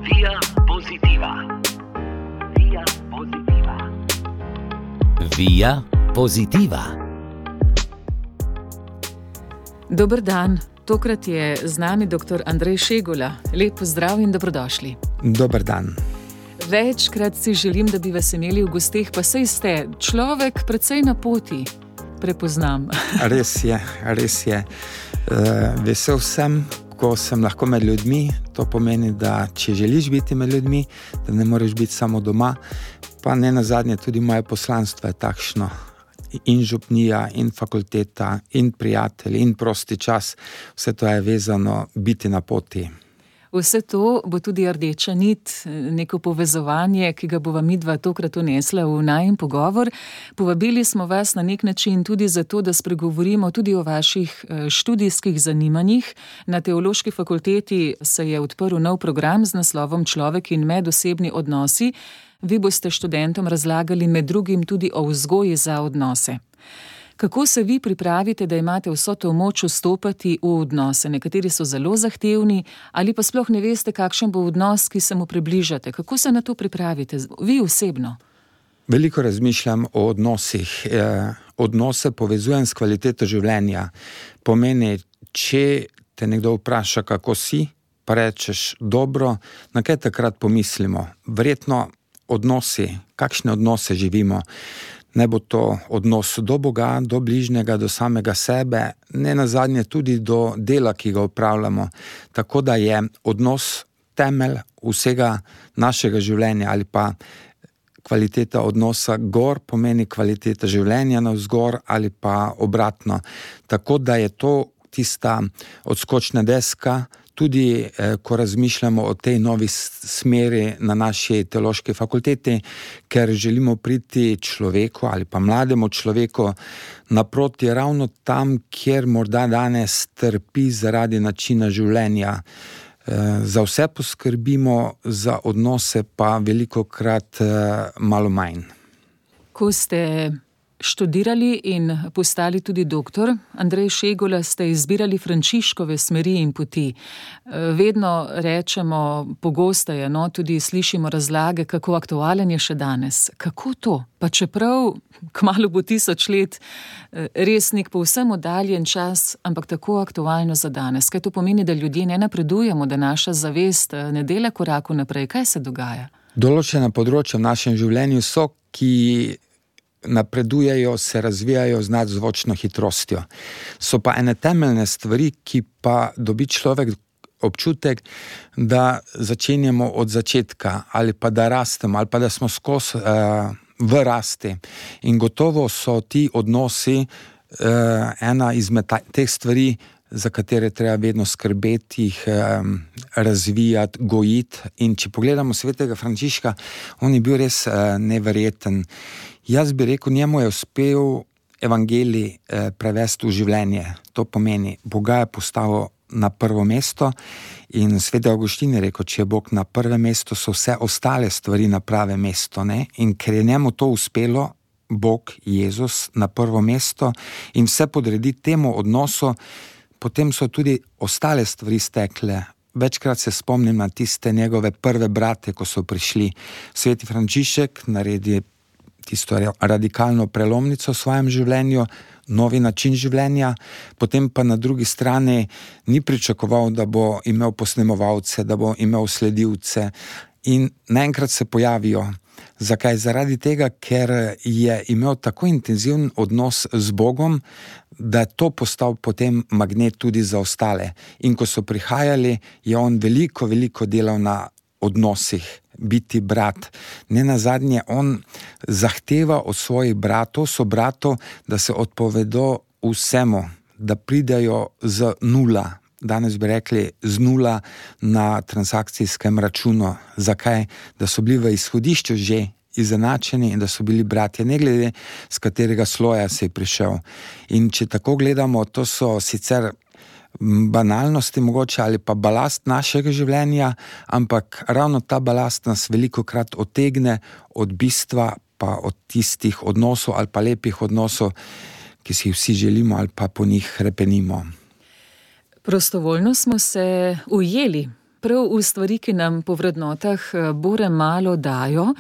Via Positiva. Via Positiva. Via Positiva. Dober dan, tokrat je z nami dr. Andrej Šegula. Lep pozdrav in dobrodošli. Dober dan. Večkrat si želim, da bi vas imeli v gosteh, pa saj ste človek precej na poti. Prepoznam. Res je. Vesel sem, ko sem lahko med ljudmi. To pomeni, da če želiš biti med ljudmi, da ne moreš biti samo doma. Pa ne nazadnje tudi moje poslanstvo je takšno. In župnija, in fakulteta, in prijatelji, in prosti čas. Vse to je vezano biti na poti. Vse to bo tudi rdeča nit, neko povezovanje, ki ga bova midva tokrat unesla v najin pogovor. Povabili smo vas na nek način tudi zato, da spregovorimo tudi o vaših študijskih zanimanjih. Na Teološki fakulteti se je odprl nov program z naslovom Človek in medosebni odnosi. Vi boste študentom razlagali med drugim tudi o vzgoji za odnose. Kako se vi pripravite, da imate vso to moč vstopati v odnose? Nekateri so zelo zahtevni, ali pa sploh ne veste, kakšen bo odnos, ki se mu približate. Kako se na to pripravite, vi osebno? Veliko razmišljam o odnosih. Odnose povezujem s kvaliteto življenja. Pomeni, če te nekdo vpraša, kako si, pa rečeš dobro, na kaj takrat pomislimo? Verjetno odnosi, kakšne odnose živimo? Ne bo to odnos do Boga, do bližnjega, do samega sebe, ne nazadnje tudi do dela, ki ga opravljamo. Tako da je odnos temelj vsega našega življenja ali pa kvaliteta odnosa gor pomeni kvaliteta življenja navzgor ali pa obratno. Tako da je to tista odskočna deska, tudi ko razmišljamo o tej novi smeri na naši teološki fakulteti, ker želimo priti človeku ali pa mlademu človeku naproti ravno tam, kjer morda danes trpi zaradi načina življenja. Za vse poskrbimo, za odnose pa velikokrat malo manj. Ko ste študirali in postali tudi doktor, Andrej Šegula, ste izbirali Frančiškove smeri in poti. Vedno rečemo, pogosteje, tudi slišimo razlage, kako aktualen je še danes. Kako to? Pa čeprav kmalu bo 1000 let, res nek povsem oddaljen čas, ampak tako aktualno za danes. Kaj to pomeni, da ljudje ne napredujemo, da naša zavest ne dela koraku naprej? Kaj se dogaja? Določena področja v našem življenju so, ki napredujejo, se razvijajo z nadzvočno hitrostjo. So pa ene temeljne stvari, ki pa dobi človek občutek, da začenjamo od začetka ali pa da rastemo ali pa da smo skozi v rasti. In gotovo so ti odnosi ena izmed teh stvari, za katere treba vedno skrbeti, jih razvijati, gojiti. In če pogledamo svetega Frančiška, on je bil res neverjeten. Jaz bi rekel, njemu je uspel evangelij prevesti v življenje. To pomeni, Boga je postavil na prvo mesto in sveti Avguštin je rekel, če je Bog na prvem mestu, so vse ostale stvari na pravem mestu. Ne? In ker je njemu to uspelo, Bog, Jezus, na prvo mesto in vse podredi temu odnosu, potem so tudi ostale stvari stekle. Večkrat se spomnim na tiste njegove prve brate, ko so prišli. Sveti Frančišek naredi tisto radikalno prelomnico v svojem življenju, novi način življenja, potem pa na drugi strani ni pričakoval, da bo imel posnemovalce, da bo imel sledilce in naenkrat se pojavijo. Zakaj? Zaradi tega, ker je imel tako intenziven odnos z Bogom, da je to postal potem magnet tudi za ostale. In ko so prihajali, je on veliko delal na odnosih, biti brat. Ne nazadnje, on zahteva od svojih sobratov, da se odpovedo vsemu, da pridajo z nula. Danes bi rekli z nula na transakcijskem računu. Zakaj? Da so bili v izhodišču že izenačeni in da so bili bratje, ne glede z katerega sloja se je prišel. In če tako gledamo, to so sicer banalnosti mogoče ali pa balast našega življenja, ampak ravno ta balast nas velikokrat otegne od bistva, pa od tistih odnosov ali pa lepih odnosov, ki si jih vsi želimo ali pa po njih hrepenimo. Prostovoljno smo se ujeli prav v stvari, ki nam po vrednotah bore malo dajo,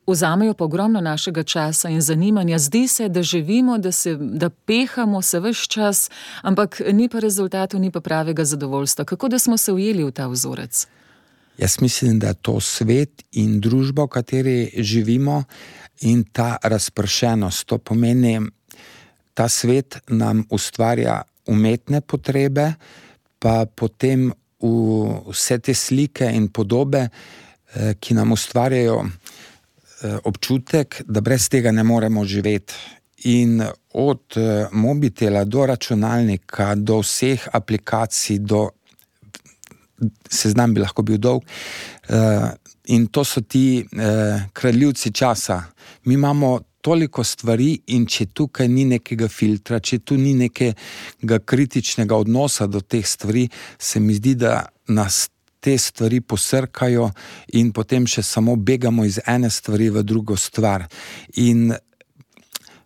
vzamejo pa ogromno našega časa in zanimanja. Zdi se, da živimo, da pehamo se ves čas, ampak ni pa rezultatov, ni pa pravega zadovoljstva. Kako da smo se ujeli v ta vzorec? Jaz mislim, da je to svet in družba, v kateri živimo, in ta razpršenost. To pomeni, ta svet nam ustvarja umetne potrebe, pa potem vse te slike in podobe, ki nam ustvarjajo občutek, da brez tega ne moremo živeti. In od mobitela do računalnika, do vseh aplikacij, do seznam bi lahko bil dolg, in to so ti kradljivci časa. Mi imamo toliko stvari in če tukaj ni nekega filtra, če tu ni nekega kritičnega odnosa do teh stvari, se mi zdi, da nas te stvari posrkajo in potem še samo begamo iz ene stvari v drugo stvar. In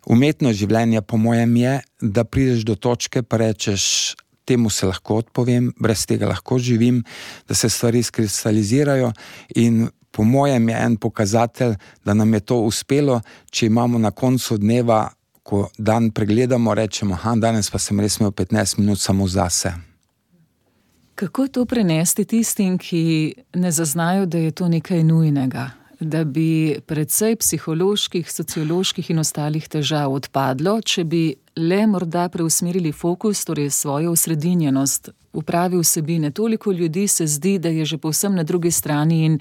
umetno življenje po mojem je, da prideš do točke pa rečeš, temu se lahko odpovem, brez tega lahko živim, da se stvari skristalizirajo in po mojem je en pokazatelj, da nam je to uspelo, če imamo na koncu dneva, ko dan pregledamo, rečemo, danes pa sem res imel 15 minut samo zase. Kako to prenesti tistim, ki ne zaznajo, da je to nekaj nujnega? Da bi precej psiholoških, socioloških in ostalih težav odpadlo, če bi le morda preusmerili fokus, torej svojo osredinjenost v pravi vsebine. Toliko ljudi se zdi, da je že povsem na drugi strani in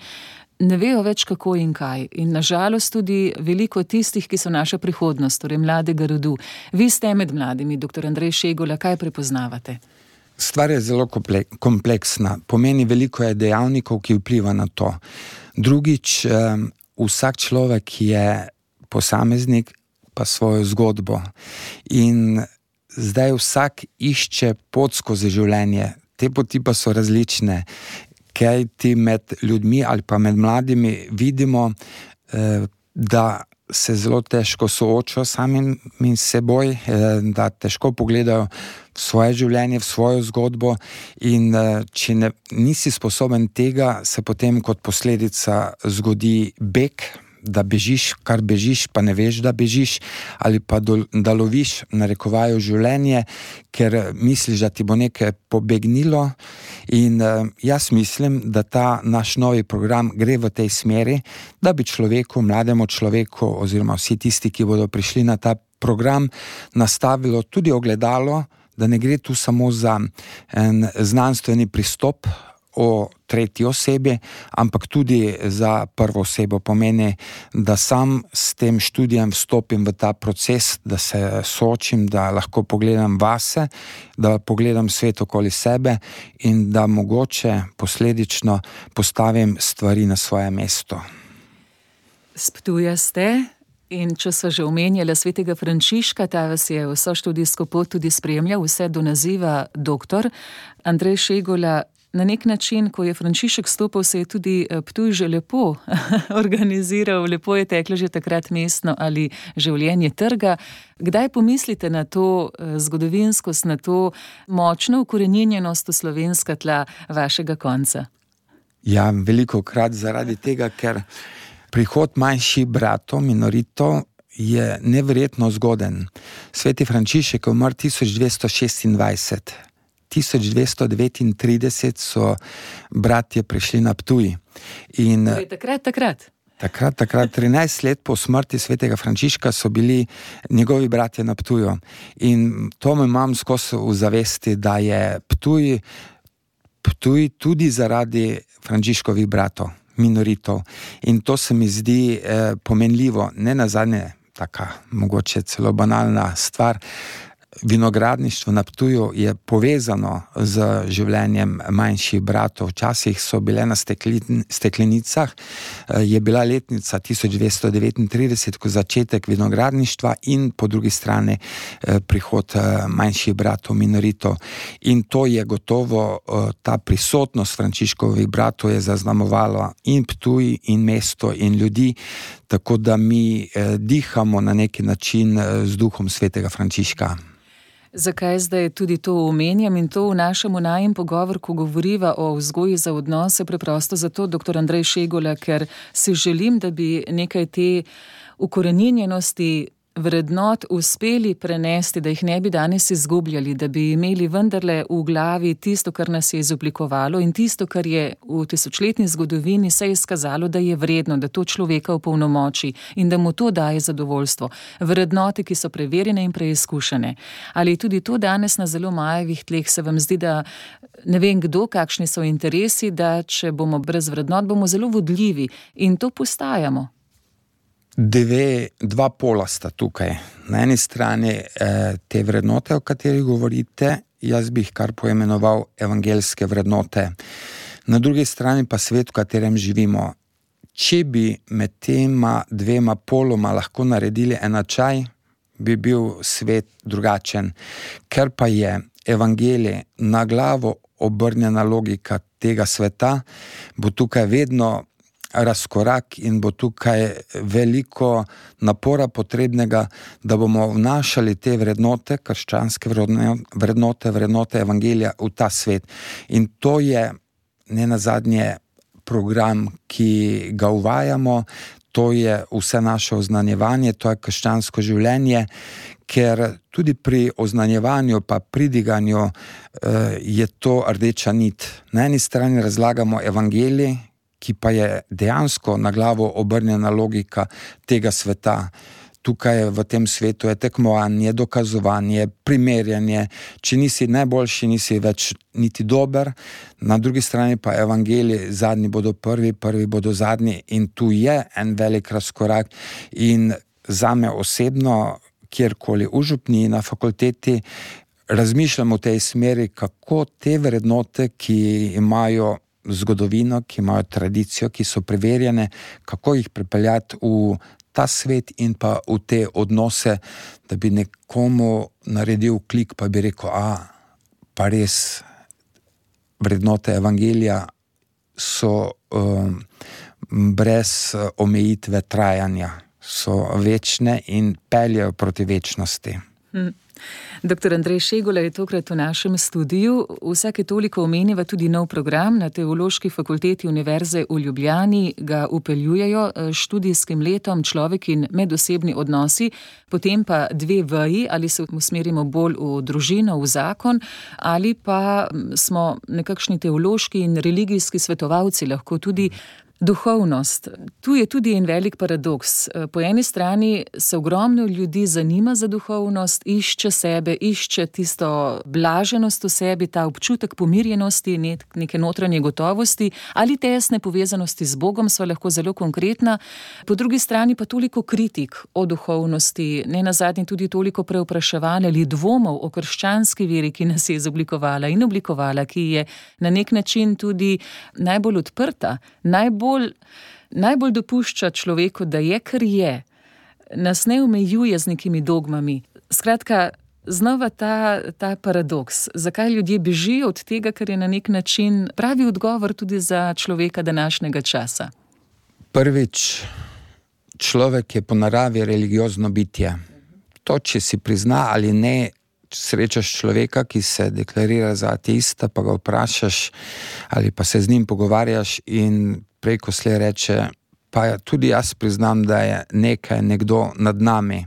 ne vejo več kako in kaj. In nažalost tudi veliko tistih, ki so naša prihodnost, torej mladega rodu. Vi ste med mladimi, dr. Andrej Šegola, kaj prepoznavate? Stvar je zelo kompleksna. Pomeni, veliko je dejavnikov, ki vpliva na to. Drugič, vsak človek je posameznik pa svojo zgodbo. In zdaj vsak išče pot skozi življenje. Te poti pa so različne. Kaj ti med ljudmi ali pa med mladimi vidimo, da se zelo težko soočajo samim seboj, da težko pogledajo v svoje življenje, v svojo zgodbo in če nisi sposoben tega, se potem kot posledica zgodi beg, da bežiš, kar bežiš, pa ne veš, da bežiš, ali pa da loviš, narekovajo življenje, ker misliš, da ti bo nekaj pobegnilo. In jaz mislim, da ta naš novi program gre v tej smeri, da bi človeku, mlademu človeku oziroma vsi tisti, ki bodo prišli na ta program, nastavilo tudi ogledalo, da ne gre tu samo za en znanstveni pristop o tretji osebi, ampak tudi za prvo osebo. Pomeni, da sam s tem študijem vstopim v ta proces, da se soočim, da lahko pogledam vase, da pogledam svet okoli sebe in da mogoče posledično postavim stvari na svoje mesto. S Ptuja ste in če sva že omenjala svetega Frančiška, ta vas je vso študijsko pot tudi spremljal, vse do naziva doktor. Andrej Šegola, na nek način, ko je Frančišek stopil, se je tudi Ptuj že lepo organiziral, lepo je teklo že takrat mestno ali življenje trga. Kdaj pomislite na to zgodovinskost, na to močno ukoreninjenost v slovenska tla vašega konca? Ja, velikokrat zaradi tega, ker prihod manjših bratov, minoritov, je neverjetno zgoden. Sveti Frančišek je umrl 1226. 1239 so bratje prišli na Ptuj. In takrat. Takrat, 13 let po smrti svetega Frančiška so bili njegovi bratje na Ptuju. In to me imam skozi v zavesti, da je Ptuj tudi zaradi Frančiškovih bratov, minoritov. In to se mi zdi pomenljivo, ne nazadnje, taka mogoče celo banalna stvar. Vinogradništvo na Ptuju je povezano z življenjem manjših bratov. Včasih so bile na steklenicah, je bila letnica 1239, ko začetek vinogradništva in po drugi strani prihod manjših bratov, minoritov. In to je gotovo, ta prisotnost Frančiškovih bratov je zaznamovala in Ptuj, in mesto, in ljudi, tako da mi dihamo na neki način z duhom svetega Frančiška. Zakaj zdaj tudi to omenjam in to v našem najin pogovor, ko govoriva o vzgoji za odnose, preprosto zato, dr. Andrej Šegula, ker si želim, da bi nekaj te ukoreninjenosti vrednot uspeli prenesti, da jih ne bi danes izgubljali, da bi imeli vendarle v glavi tisto, kar nas je izoblikovalo in tisto, kar je v tisočletni zgodovini se je izkazalo, da je vredno, da to človeka opolnomoči in da mu to daje zadovoljstvo. Vrednote, ki so preverjene in preizkušene. Ali tudi to danes na zelo majevih tleh se vam zdi, da ne vem kdo, kakšni so interesi, da če bomo brez vrednot, bomo zelo vodljivi in to postajamo. Dva pola sta tukaj. Na eni strani te vrednote, o katerih govorite, jaz bi jih kar poimenoval evangeljske vrednote. Na drugi strani pa svet, v katerem živimo. Če bi med tema dvema poloma lahko naredili enačaj, bi bil svet drugačen. Ker pa je evangelij na glavo obrnjena logika tega sveta, bo tukaj vedno razkorak in bo tukaj veliko napora potrebnega, da bomo vnašali te vrednote, krščanske vrednote evangelija v ta svet. In to je nenazadnje program, ki ga uvajamo, to je vse naše oznanjevanje, to je krščansko življenje, ker tudi pri oznanjevanju pa pridiganju je to rdeča nit. Na eni strani razlagamo evangelij, ki pa je dejansko na glavo obrnjena logika tega sveta. Tukaj v tem svetu je tekmovanje, dokazovanje, primerjanje. Če nisi najboljši, nisi več niti dober. Na drugi strani pa evangelij, zadnji bodo prvi, prvi bodo zadnji in tu je en velik razkorak. In zame osebno, kjerkoli v župniji, na fakulteti, razmišljam v tej smeri, kako te vrednote, ki imajo zgodovino, ki imajo tradicijo, ki so preverjene, kako jih pripeljati v ta svet in pa v te odnose, da bi nekomu naredil klik, pa bi rekel, pa res vrednote evangelija so brez omejitve trajanja, so večne in peljejo proti večnosti. Dr. Andrej Šegula je tokrat v našem studiu. Vsake toliko omeniva tudi nov program na Teološki fakulteti Univerze v Ljubljani. Ga upeljujejo študijskim letom Človek in medosebni odnosi, potem pa 2 veji, ali se usmerimo bolj v družino, v zakon, ali pa smo nekakšni teološki in religijski svetovalci, lahko tudi duhovnost. Tu je tudi en velik paradoks. Po eni strani se ogromno ljudi zanima za duhovnost, išče sebe, išče tisto blaženost v sebi, ta občutek pomirjenosti, neke notranje gotovosti ali tesne povezanosti z Bogom, sva lahko zelo konkretna. Po drugi strani pa toliko kritik o duhovnosti, nenazadnje tudi toliko preopraševanj ali dvomov o krščanski veri, ki nas je izoblikovala in oblikovala, ki je na nek način tudi najbolj odprta, najbolj dopušča človeku, da je, kar je, nas ne omejuje z nekimi dogmami. Skratka, znova ta paradoks. Zakaj ljudje bežijo od tega, kar je na nek način pravi odgovor tudi za človeka današnjega časa? Prvič, človek je po naravi religiozno bitje. To, če si prizna ali ne, srečaš človeka, ki se deklarira za ateista, pa ga vprašaš ali pa se z njim pogovarjaš in prej ko slej reče, pa tudi jaz priznam, da je nekdo nad nami.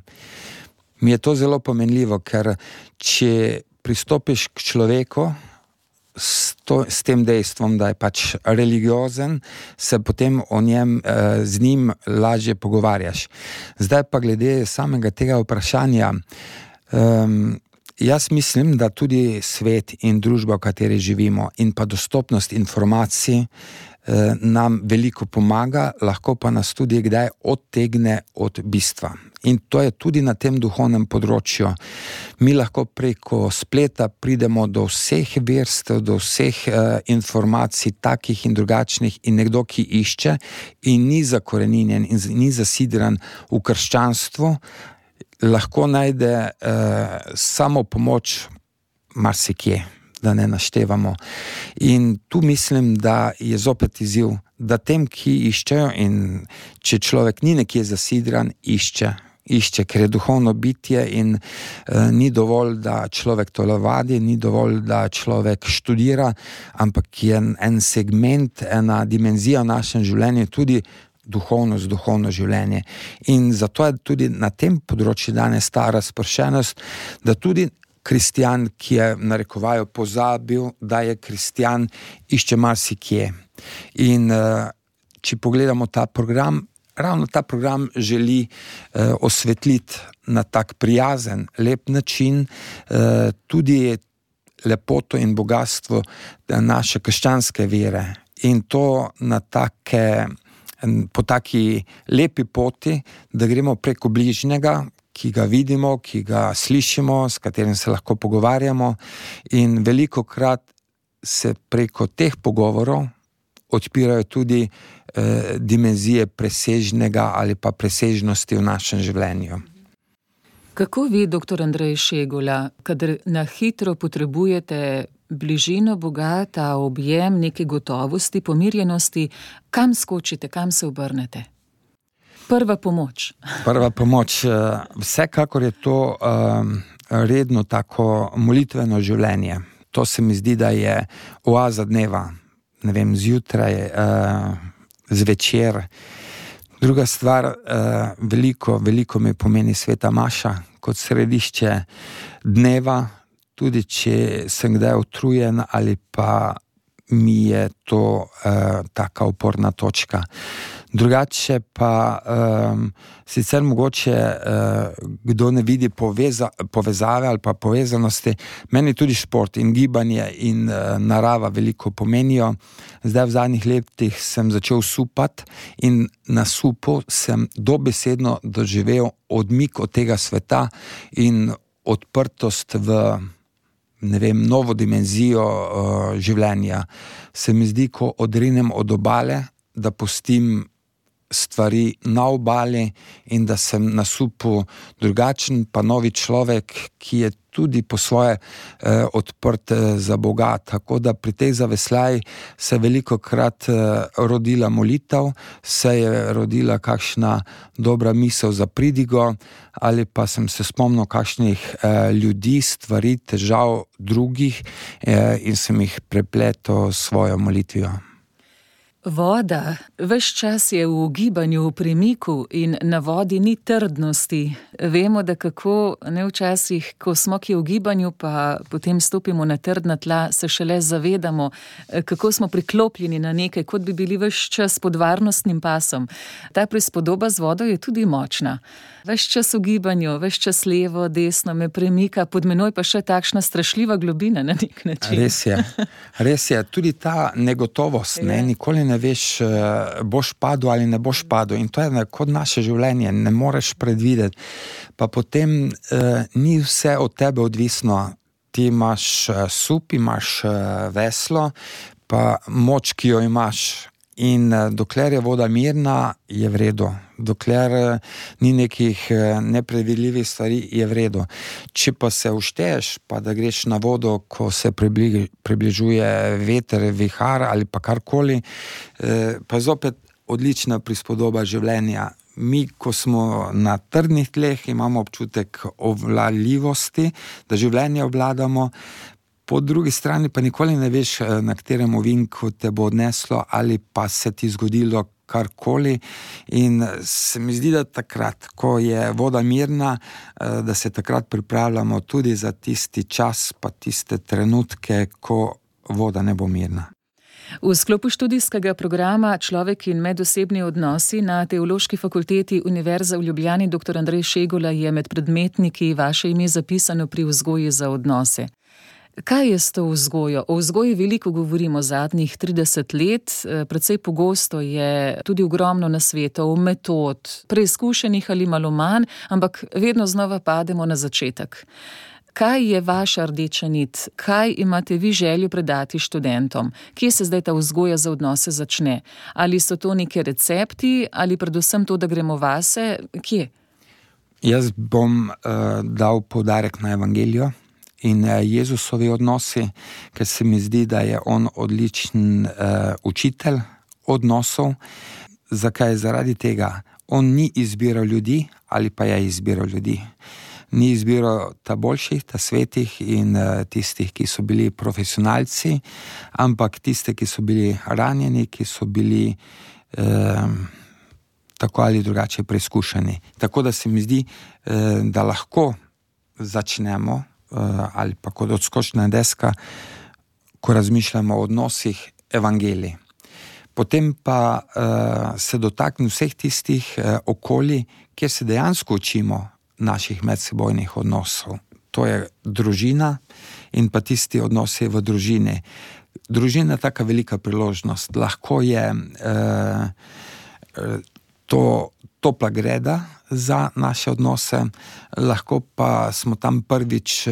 Mi je to zelo pomenljivo, ker če pristopiš k človeku s tem dejstvom, da je pač religiozen, se potem z njim lažje pogovarjaš. Zdaj pa glede samega tega vprašanja, jaz mislim, da tudi svet in družba, v kateri živimo, in pa dostopnost informacij nam veliko pomaga, lahko pa nas tudi kdaj odtegne od bistva. In to je tudi na tem duhovnem področju. Mi lahko preko spleta pridemo do vseh verstev, do vseh informacij, takih in drugačnih, in nekdo, ki išče in ni zakoreninjen in ni zasidran v krščanstvu, lahko najde samo pomoč marsikje, da ne naštevamo. In tu mislim, da je zopet izziv, da tem, ki iščejo, in če človek ni nekje zasidran, išče išče, ker je duhovno bitje in ni dovolj, da človek telovadi, ni dovolj, da človek študira, ampak je en segment, ena dimenzija v našem življenju tudi duhovno življenje. In zato je tudi na tem področju danes ta razpršenost, da tudi kristjan, ki je narekovajo pozabil, da je kristjan, išče marsikje. In če pogledamo ta program, ravno ta program želi osvetliti na tak prijazen, lep način tudi lepoto in bogatstvo naše krščanske vere. In to na po taki lepi poti, da gremo preko bližnjega, ki ga vidimo, ki ga slišimo, s katerim se lahko pogovarjamo, in velikokrat se preko teh pogovorov odpirajo tudi dimenzije presežnega ali pa presežnosti v našem življenju. Kako vi, dr. Andrej Šegula, kadar na hitro potrebujete bližino Boga, ta objem neke gotovosti, pomirjenosti, kam skočite, kam se obrnete? Prva pomoč. Prva pomoč. Vsekakor je to redno tako molitveno življenje. To se mi zdi, da je oaza dneva. Ne vem, zjutraj, zvečer. Druga stvar, veliko mi pomeni sveta maša kot središče dneva, tudi če sem kdaj utrujen ali pa mi je to taka oporna točka. Drugače pa sicer mogoče kdo ne vidi povezave ali pa povezanosti, meni tudi šport in gibanje in narava veliko pomenijo. Zdaj v zadnjih letih sem začel supati in na supu sem dobesedno doživel odmik od tega sveta in odprtost v novo dimenzijo življenja. Se mi zdi, ko odrinem od obale, da pustim stvari na obali in da sem na supu drugačen, pa novi človek, ki je tudi po svoje odprt za Boga. Tako da pri tej zaveslaji se velikokrat rodila molitev, se je rodila kakšna dobra misel za pridigo, ali pa sem se spomnil kakšnih ljudi, stvari, težav drugih in sem jih prepletel s svojo molitvijo. Voda ves čas je v gibanju, v premiku in na vodi ni trdnosti. Vemo, da kako včasih, ko smo kje v gibanju, pa potem stopimo na trdna tla, se šele zavedamo, kako smo priklopljeni na nekaj, kot bi bili ves čas pod varnostnim pasom. Ta prispodoba z vodo je tudi močna. Ves čas v gibanju, ves čas levo, desno me premika, pod menoj pa še takšna strašljiva globina na nek način. Res je. Tudi ta negotovost, nikoli ne veš, boš padel ali ne boš padel. In to je kot naše življenje, ne moreš predvideti. Pa potem ni vse od tebe odvisno. Ti imaš sup, imaš veslo, pa moč, ki jo imaš. In dokler je voda mirna, je v redu. Dokler ni nekih nepredvidljivih stvari, je v redu. Če pa se ušteješ, pa da greš na vodo, ko se približuje veter, vihar ali pa karkoli, pa zopet odlična prispodoba življenja. Mi, ko smo na trdnih tleh, imamo občutek obvladljivosti, da življenje obvladamo. Po drugi strani pa nikoli ne veš, na katerem ovinku te bo odneslo ali pa se ti zgodilo karkoli. In se mi zdi, da takrat, ko je voda mirna, da se takrat pripravljamo tudi za tisti čas, pa tiste trenutke, ko voda ne bo mirna. V sklopu študijskega programa Človek in medosebni odnosi na Teološki fakulteti Univerze v Ljubljani dr. Andrej Šegula je med predmetniki vaše ime zapisano pri vzgoji za odnose. Kaj je s to vzgojo? O vzgoji veliko govorimo zadnjih 30 let, precej pogosto je tudi ogromno nasvetov, metod, preizkušenih ali malo manj, ampak vedno znova pademo na začetek. Kaj je vaša rdeča nit? Kaj imate vi željo predati študentom? Kje se zdaj ta vzgoja za odnose začne? Ali so to neke recepti ali predvsem to, da gremo vase? Kje? Jaz bom dal poudarek na evangelijo in Jezusovi odnosi, ker se mi zdi, da je on odličen učitelj odnosov. Zakaj? Zaradi tega. On ni izbiral ljudi, ali pa je izbiral ljudi. Ni izbiral ta boljših, ta svetih in tistih, ki so bili profesionalci, ampak tiste, ki so bili ranjeni, ki so bili tako ali drugače preizkušeni. Tako da se mi zdi, da lahko začnemo, ali pa kot odskočna deska, ko razmišljamo o odnosih, evangelij. Potem pa se dotakne vseh tistih okolij, kjer se dejansko učimo naših medsebojnih odnosov. To je družina in pa tisti odnosi v družini. Družina je taka velika priložnost. Lahko je to topla greda za naše odnose, lahko pa smo tam prvič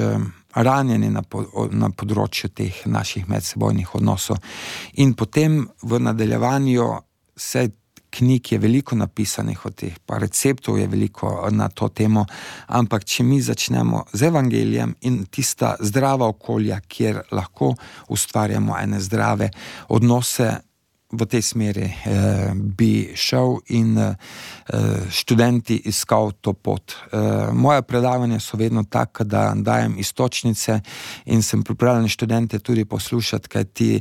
ranjeni na področju teh naših medsebojnih odnosov. In potem v nadaljevanju se knjig je veliko napisanih o teh, pa receptov je veliko na to temo, ampak če mi začnemo z evangelijem in tista zdrava okolja, kjer lahko ustvarjamo ene zdrave odnose, v tej smeri bi šel in študenti iskal to pot. Moja predavanja so vedno taka, da dajem istočnice in sem pripravljen študente tudi poslušati, kajti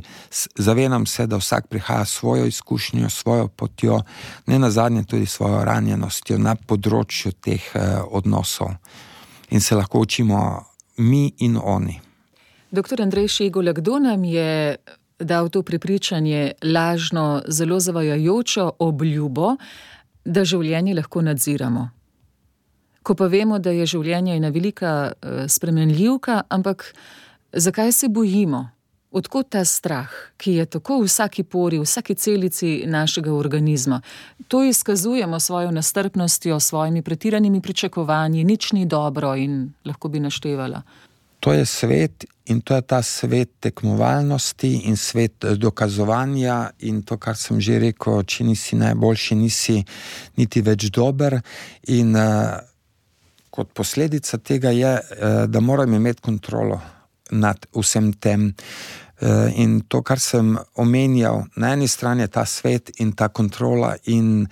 zavedam se, da vsak prihaja svojo izkušnjo, svojo potjo, ne nazadnje tudi svojo ranjenostjo na področju teh odnosov. In se lahko učimo mi in oni. Doktor Andrej Šegula, kdo nam je dal to prepričanje, lažno, zelo zavajajočo obljubo, da življenje lahko nadziramo? Ko pa vemo, da je življenje ena velika spremenljivka, ampak zakaj se bojimo? Odkot ta strah, ki je tako v vsaki pori, v vsaki celici našega organizma? To izkazujemo svojo nestrpnostjo, svojimi pretiranimi pričakovanji, nič ni dobro in lahko bi naštevala. To je svet in to je ta svet tekmovalnosti in svet dokazovanja in to, kar sem že rekel, če nisi najboljši, nisi niti več dober in kot posledica tega je, da moram imeti kontrolo nad vsem tem. In to, kar sem omenjal, na eni strani je ta svet in ta kontrola in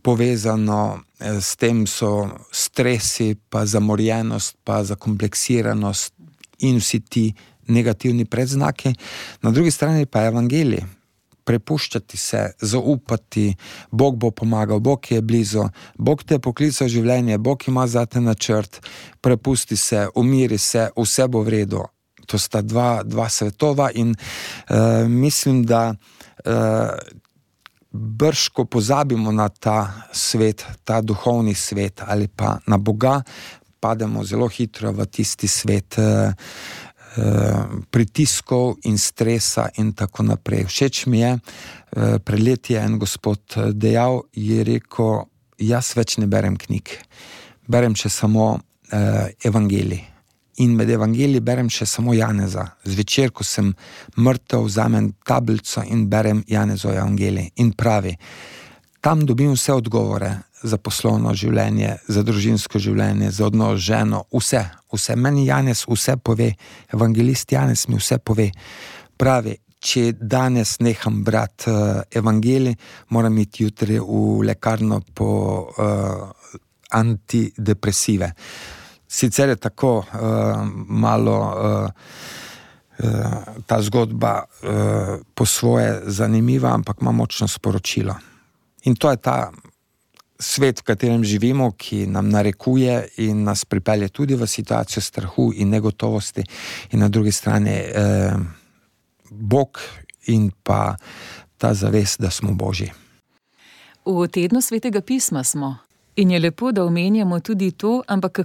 povezano s tem so stresi, pa zamorjenost, pa zakompleksiranost in vsi ti negativni predznaki. Na drugi strani pa je evangelij. Prepuščati se, zaupati, Bog bo pomagal, Bog je blizu, Bog te je poklical v življenje, Bog ima zate načrt, prepusti se, umiri se, vse bo v redu. To sta dva svetova in mislim, da brško pozabimo na ta svet, ta duhovni svet ali pa na Boga, pademo zelo hitro v tisti svet pritiskov in stresa in tako naprej. Všeč mi je, pred leti je en gospod dejal, je rekel, jaz več ne berem knjig, berem še samo evangelij. In med evangeliji berem še samo Janeza. Zvečer, ko sem mrtev, vzamem tablico in berem Janezov evangelij. In pravi, tam dobim vse odgovore za poslovno življenje, za družinsko življenje, za odnos z ženo, vse. Meni Janez vse pove, evangelist Janez mi vse pove. Pravi, če danes neham brati evangelij, moram iti jutri v lekarno po antidepresive. Sicer je tako malo ta zgodba po svoje zanimiva, ampak ima močno sporočilo. In to je ta svet, v katerem živimo, ki nam narekuje in nas pripelje tudi v situacijo strahu in negotovosti. In na drugi strani Bog in pa ta zavest, da smo Božji. V tednu Svetega pisma smo. In je lepo, da omenjamo tudi to, ampak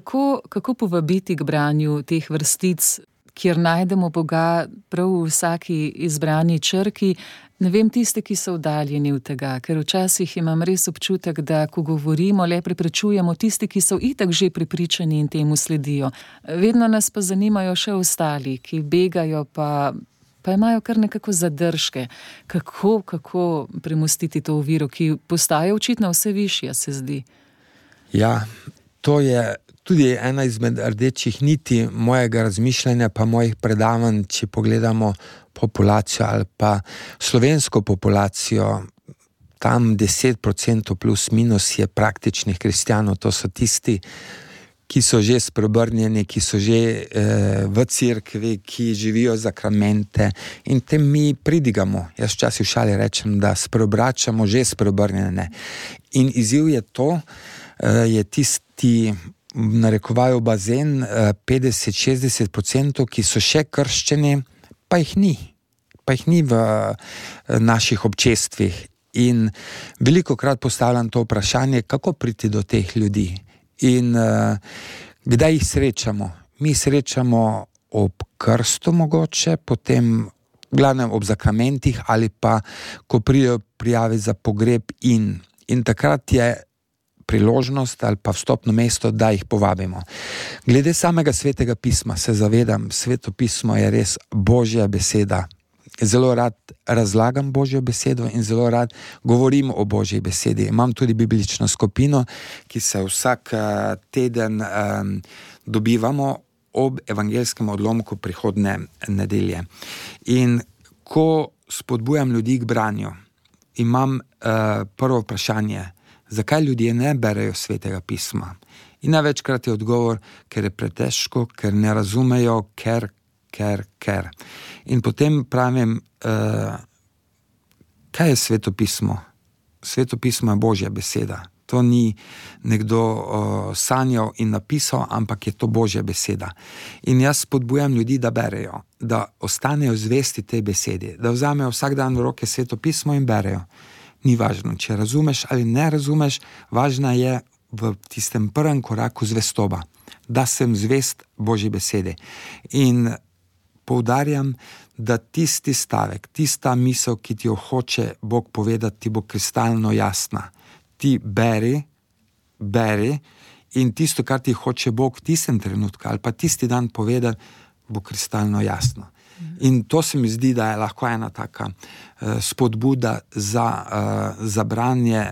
kako povabiti k branju teh vrstic, kjer najdemo Boga prav v vsaki izbrani črki, ne vem, tiste, ki so oddaljeni od tega, ker včasih imam res občutek, da ko govorimo, le preprečujemo tisti, ki so itak že prepričani in temu sledijo. Vedno nas pa zanimajo še ostali, ki begajo pa imajo kar nekako zadržke. Kako premostiti to oviro, ki postaja očitno vse višja, se zdi. Ja, to je tudi ena izmed rdečih niti mojega razmišljanja pa mojih predavanj, če pogledamo populacijo ali pa slovensko populacijo. tam 10% plus minus je praktičnih kristjanov, to so tisti, ki so že spreobrnjeni, ki so že v cerkvi, ki živijo zakramente in tem mi pridigamo. Jaz včasih v šali rečem, da spreobračamo že spreobrnjene. In izziv je to, je tisti, narekovajo bazen, 50-60%, ki so še krščeni, pa jih ni v naših občestvih. In velikokrat postavljam to vprašanje, kako priti do teh ljudi. In kdaj jih srečamo? Mi srečamo ob krstu mogoče, potem v glavnem ob zakramentih ali pa, ko pridejo prijave za pogreb in takrat je priložnost ali pa vstopno mesto, da jih povabimo. Glede samega Svetega pisma se zavedam, Sveto pismo je res Božja beseda. Zelo rad razlagam Božjo besedo in zelo rad govorim o Božji besedi. Imam tudi biblično skupino, ki se vsak teden dobivamo ob evangeljskem odlomku prihodnje nedelje. In ko spodbujam ljudi k branju, imam prvo vprašanje, zakaj ljudje ne berejo Svetega pisma? In največkrat je odgovor, ker je pretežko, ker ne razumejo, ker. In potem pravim, kaj je Sveto pismo? Sveto pismo je Božja beseda. To ni nekdo sanjal in napisal, ampak je to Božja beseda. In jaz spodbujam ljudi, da berejo, da ostanejo zvesti tej besedi, da vzamejo vsak dan v roke Sveto pismo in berejo. Ni važno, če razumeš ali ne razumeš, važna je v tistem prvem koraku zvestoba, da sem zvest Božji besedi. In poudarjam, da tisti stavek, tista misel, ki ti jo hoče Bog povedati, ti bo kristalno jasna. Ti beri in tisto, kar ti hoče Bog v tistem trenutku ali pa tisti dan povedati, bo kristalno jasno. In to se mi zdi, da je lahko ena taka spodbuda za branje,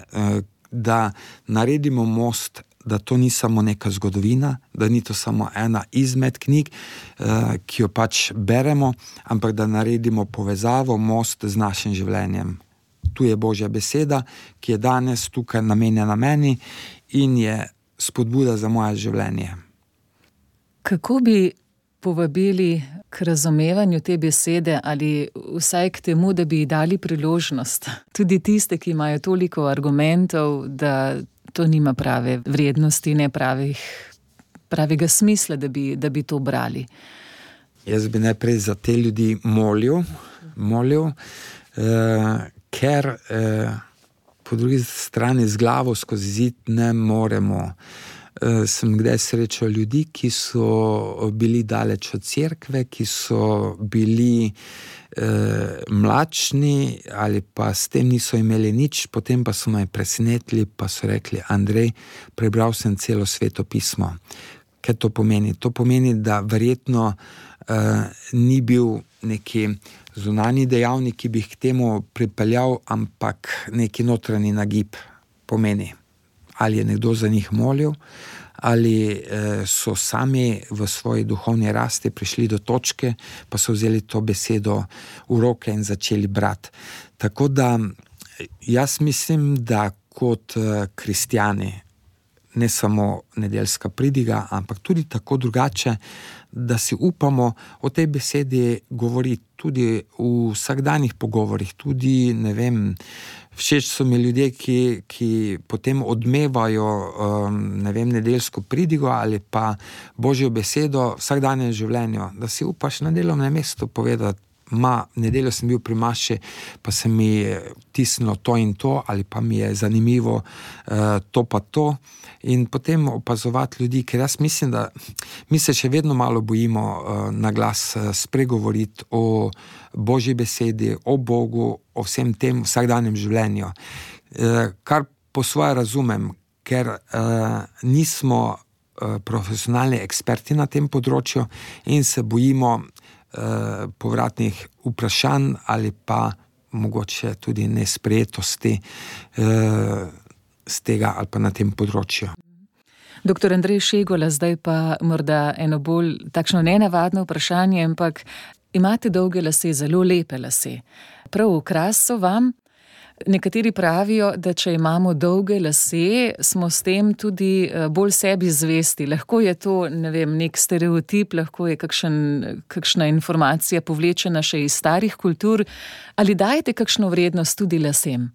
da naredimo most, da to ni samo neka zgodovina, da ni to samo ena izmed knjig, ki jo pač beremo, ampak da naredimo povezavo, most z našim življenjem. Tu je Božja beseda, ki je danes tukaj namenjena meni in je spodbuda za moje življenje. Kako bi povabili k razumevanju te besede ali vsaj k temu, da bi ji dali priložnost? Tudi tiste, ki imajo toliko argumentov, da to nima prave vrednosti, ne pravega smisla, da bi to brali. Jaz bi najprej za te ljudi molil, ker po drugi strani z glavo skozi zid ne moremo. Sem kdaj srečal ljudi, ki so bili daleč od cerkve, ki so bili mlačni ali pa s tem niso imeli nič, potem pa so me presenetili, pa so rekli, Andrej, prebral sem celo Sveto pismo. Kaj to pomeni? To pomeni, da verjetno ni bil neki zunanji dejavnik, ki bi jih k temu pripeljal, ampak neki notranji nagib pomeni. Ali je nekdo za njih molil, ali so sami v svoji duhovni rasti prišli do točke, pa so vzeli to besedo v roke in začeli brati. Tako da jaz mislim, da kot kristjani, ne samo nedeljska pridiga, ampak tudi tako drugače, da si upamo o tej besedi govoriti tudi v vsakdanjih pogovorih, tudi, ne vem, všeč so mi ljudje, ki potem odmevajo, ne vem, nedeljsko pridigo ali pa Božjo besedo v vsakdanjem življenju, da si upaš na delovnem mestu povedati, nedeljo sem bil pri maši, pa se mi je tisnilo to in to, ali pa mi je zanimivo to pa to. In potem opazovati ljudi, ker jaz mislim, da mi se še vedno malo bojimo na glas spregovoriti o Božji besedi, o Bogu, o vsem tem vsakdanjem življenju. Kar po svoje razumem, ker nismo profesionalni eksperti na tem področju in se bojimo povratnih vprašanj ali pa mogoče tudi nesprejetosti z tega ali pa na tem področju. Doktor Andrej Šegola, zdaj pa morda eno bolj takšno nenavadno vprašanje, ampak imate dolge lase, zelo lepe lase. Prav okras so vam. Nekateri pravijo, da če imamo dolge lase, smo s tem tudi bolj sebi zvesti. Lahko je to, ne vem, nek stereotip, lahko je kakšna informacija povlečena še iz starih kultur. Ali dajete kakšno vrednost tudi lasem?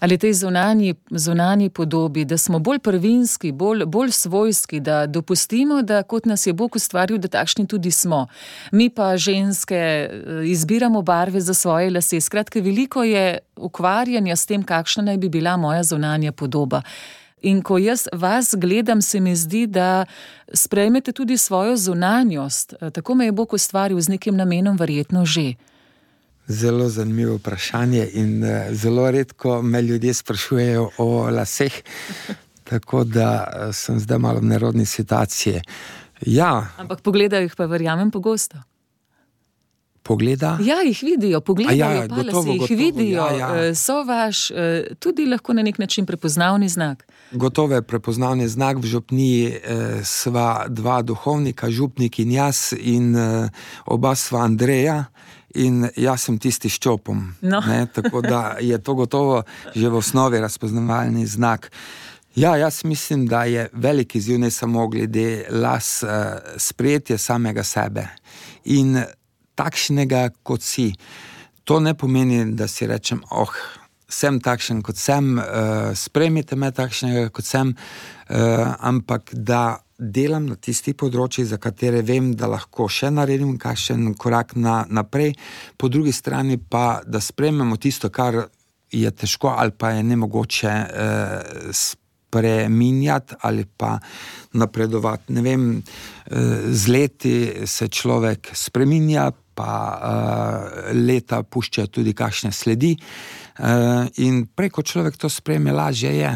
Ali tej zunanji podobi, da smo bolj prvinski, bolj svojski, da dopustimo, da kot nas je Bog ustvaril, da takšni tudi smo. Mi pa ženske izbiramo barve za svoje lase. Skratka, veliko je ukvarjanja s tem, kakšna naj bi bila moja zunanja podoba. In ko jaz vas gledam, se mi zdi, da sprejmete tudi svojo zunanjost. Tako me je Bog ustvaril z nekim namenom, verjetno že. Zelo zanimivo vprašanje in zelo redko me ljudje sprašujejo o laseh, tako da sem zdaj malo v nerodni situaciji. Ja. Ampak pogledajo jih pa, verjamem, pogosto. Pogleda? Ja, jih vidijo, pogledajo pa gotovo, lase, jih vidijo, ja. So vaš tudi lahko na nek način prepoznavni znak. Gotovo je prepoznavni znak. V župniji sva dva duhovnika, župnik in jaz, in oba sva Andreja. In jaz sem tisti s čopom, tako da je to gotovo že v osnovi razpoznavalni znak. Ja, jaz mislim, da je velik izziv ne samo glede las, sprejetje samega sebe in takšnega, kot si. To ne pomeni, da si rečem, sem takšen, kot sem, sprejmite me takšnega, kot sem, ampak da delam na tistih področjih, za katere vem, da lahko še naredim kakšen korak naprej, po drugi strani pa, da sprejmemo tisto, kar je težko ali pa je nemogoče spreminjati ali pa napredovati. Ne vem, z leti se človek spreminja, pa leta puščajo tudi kakšne sledi, in preko človek to sprejme, lažje je.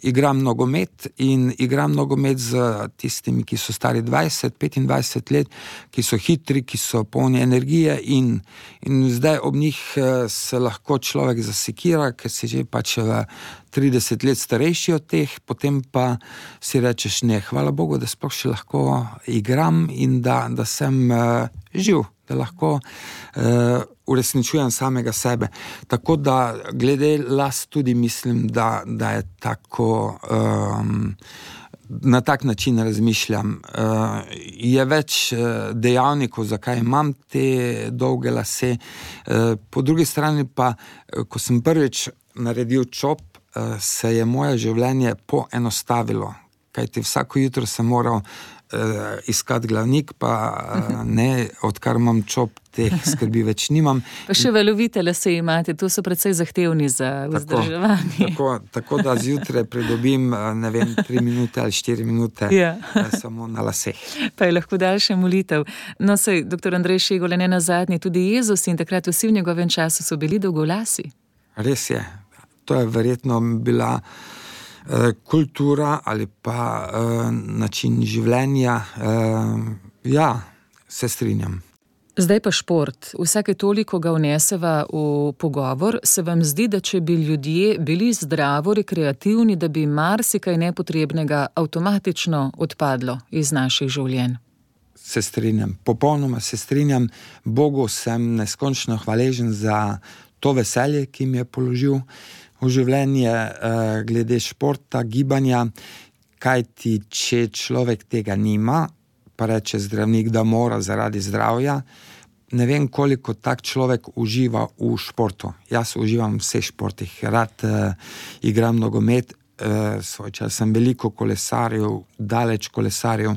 Igram nogomet in igram nogomet z tistimi, ki so stari 20-25 let, ki so hitri, ki so polni energije in zdaj ob njih se lahko človek zasekira, ker si že pač 30 let starejši od teh, potem pa si rečeš, ne, hvala Bogu, da sploh še lahko igram in da sem živ, da lahko uresničujem samega sebe. Tako da glede las tudi mislim, da je tako, na tak način razmišljam. Je več dejavnikov, zakaj imam te dolge lase. Po drugi strani pa, ko sem prvič naredil čop, se je moje življenje poenostavilo, kajti vsako jutro sem moral iskati glavnik, pa ne, odkar imam čop, teh skrbi več nimam. Pa še valovite lase imate, to so precej zahtevni za vzdrževanje. Tako da zjutraj pridobim, ne vem, 3 minute ali 4 minute samo na laseh. Pa je lahko daljša molitev. No, saj, doktor Andrej Šegole, ne nazadnje, tudi Jezus in takrat vsi v njegovem času so bili dolgolasi. Res je. To je verjetno bila kultura ali pa način življenja. Ja, se strinjam. Zdaj pa šport. Vsake toliko ga vneseva v pogovor. Se vam zdi, da če bi ljudje bili zdravo rekreativni, da bi marsikaj nepotrebnega avtomatično odpadlo iz naših življenj? Se strinjam, popolnoma se strinjam. Bogu sem neskončno hvaležen za to veselje, ki mi je položil v življenje glede športa, gibanja, kajti če človek tega nima, pa reče zdravnik, da mora zaradi zdravja, ne vem, koliko tak človek uživa v športu. Jaz uživam v vseh športih, rad igram nogomet, svoj čas sem veliko kolesarjev, daleč kolesarjev,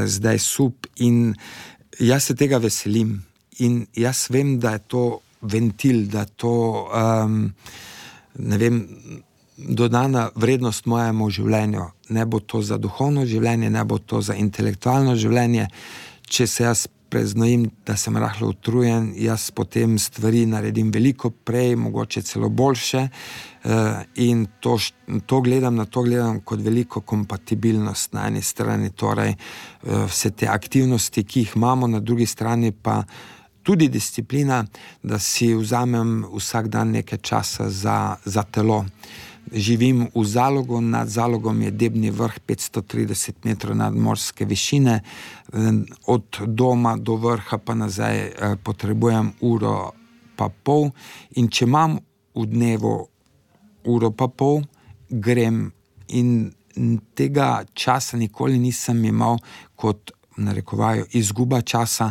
zdaj sup in jaz se tega veselim in jaz vem, da je to ventil, da to ne vem, dodana vrednost mojemu življenju. Ne bo to za duhovno življenje, ne bo to za intelektualno življenje. Če se jaz preznojim, da sem rahlo utrujen, jaz potem stvari naredim veliko prej, mogoče celo boljše, in to gledam kot veliko kompatibilnost na eni strani, torej vse te aktivnosti, ki jih imamo, na drugi strani pa tudi disciplina, da si vzamem vsak dan nekaj časa za telo. Živim v Zalogu, nad Zalogom je Debni vrh 530 metrov nadmorske višine, od doma do vrha pa nazaj potrebujem uro pa pol in če imam v dnevu uro pa pol, grem in tega časa nikoli nisem imel kot narekovajo izguba časa,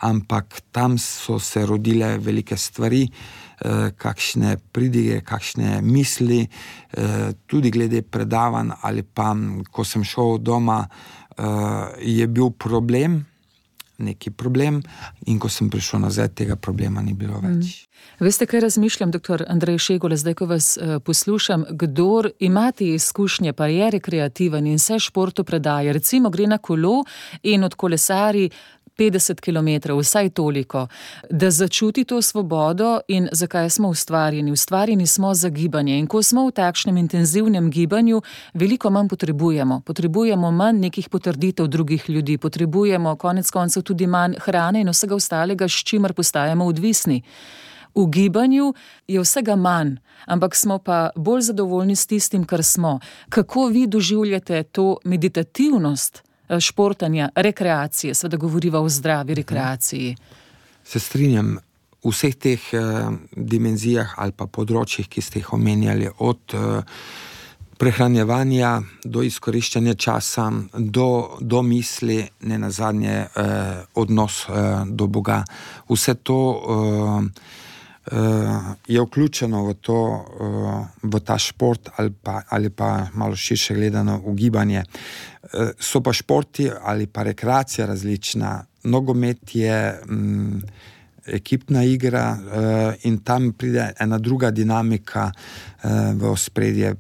ampak tam so se rodile velike stvari, kakšne pridige, kakšne misli, tudi glede predavanj ali pa, ko sem šel doma, je bil neki problem in ko sem prišel nazaj, tega problema ni bilo več. Veste, kaj razmišljam, doktor Andrej Šegula, zdaj, ko vas poslušam, kdor ima te izkušnje, pa je rekreativen in se športu predaje, recimo gre na kolo in od kolesari 50 kilometrov, vsaj toliko, da začuti to svobodo in zakaj smo ustvarjeni. Ustvarjeni smo za gibanje in ko smo v takšnem intenzivnem gibanju, veliko manj potrebujemo. Potrebujemo manj nekih potrditev drugih ljudi, potrebujemo konec koncev tudi manj hrane in vsega ostalega, s čimer postajamo odvisni. V gibanju je vsega manj, ampak smo pa bolj zadovoljni s tistim, kar smo. Kako vi doživljate to meditativnost športanja, rekreacije, seveda govoriva o zdravi rekreaciji? Se strinjam, v vseh teh dimenzijah ali pa področjih, ki ste jih omenjali, od prehranjevanja do izkoriščanja časa, do misli, ne nazadnje odnos do Boga. Vse to je vključeno v ta šport ali pa malo širše gledano v gibanje. So pa športi ali pa rekreacija različna. Nogomet je ekipna igra in tam pride ena druga dinamika v ospredje.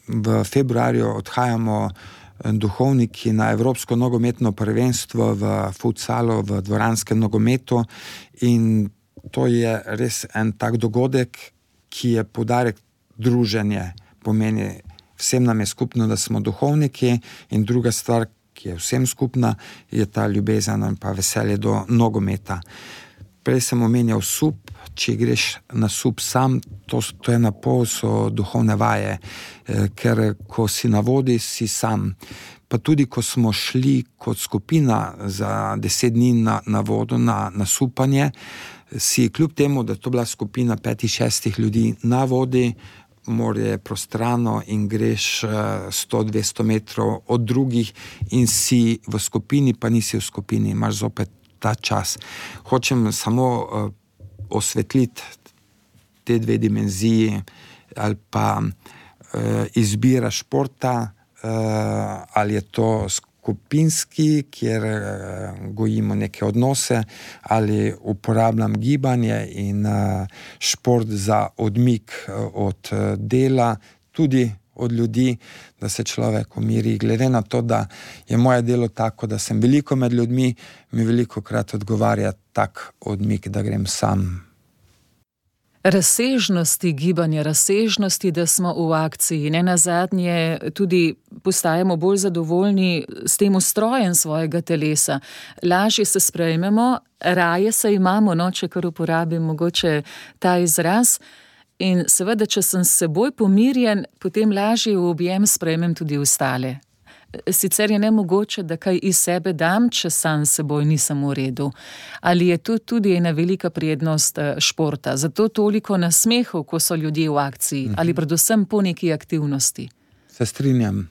V februarju odhajamo duhovniki na Evropsko nogometno prvenstvo v futsalu, v dvoranskem nogometu in to je res en tak dogodek, ki je poudarek druženje. Pomeni, vsem nam je skupno, da smo duhovniki in druga stvar, ki je vsem skupna, je ta ljubezen in pa veselje do nogometa. Prej sem omenjal sup, če greš na sup sam, to je na pol, so duhovne vaje, ker ko si na vodi, si sam. Pa tudi, ko smo šli kot skupina za 10 dni na vodo, na supanje, si kljub temu, da to bila skupina 5-6 ljudi na vodi, morje je prostrano in greš 100-200 metrov od drugih in si v skupini, pa nisi v skupini, imaš zopet ta čas. Hočem samo osvetliti te dve dimenziji ali pa izbira športa, ali je to skupinski, kjer gojimo neke odnose, ali uporabljam gibanje in šport za odmik od dela, tudi od ljudi, da se človek umiri. Glede na to, da je moje delo tako, da sem veliko med ljudmi, mi velikokrat odgovarja tak odmik, da grem sam. Razsežnosti gibanja, razsežnosti, da smo v akciji, ne nazadnje tudi postajamo bolj zadovoljni s tem ustrojem svojega telesa. Lažje se sprejmemo, raje se imamo, če kar uporabim mogoče ta izraz. In seveda, če sem s seboj pomirjen, potem lažje v objem sprejmem tudi ostale. Sicer je nemogoče, da kaj iz sebe dam, če sam s seboj nisem v redu. Ali je to tudi ena velika prednost športa? Zato toliko nasmehov, ko so ljudje v akciji, ali predvsem po neki aktivnosti? Se strinjam.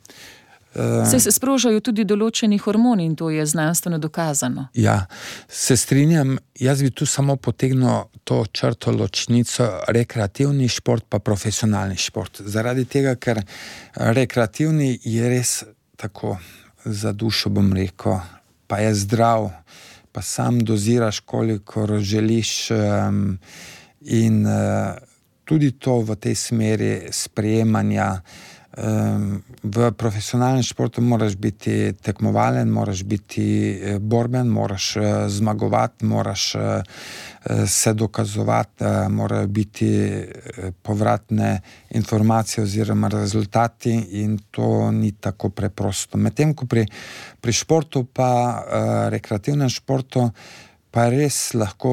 Se sprožajo tudi določeni hormoni in to je znanstveno dokazano. Ja, se strinjam. Jaz bi tu samo potegnil to črto ločnico rekreativni šport pa profesionalni šport. Zaradi tega, ker rekreativni je res tako za dušo, bom rekel, pa je zdrav, pa sam doziraš, kolikor želiš in tudi to v tej smeri sprejemanja. V profesionalnem športu moraš biti tekmovalen, moraš biti borben, moraš zmagovati, moraš se dokazovati, morajo biti povratne informacije oziroma rezultati in to ni tako preprosto. Medtem ko pri športu pa rekreativnem športu pa je res lahko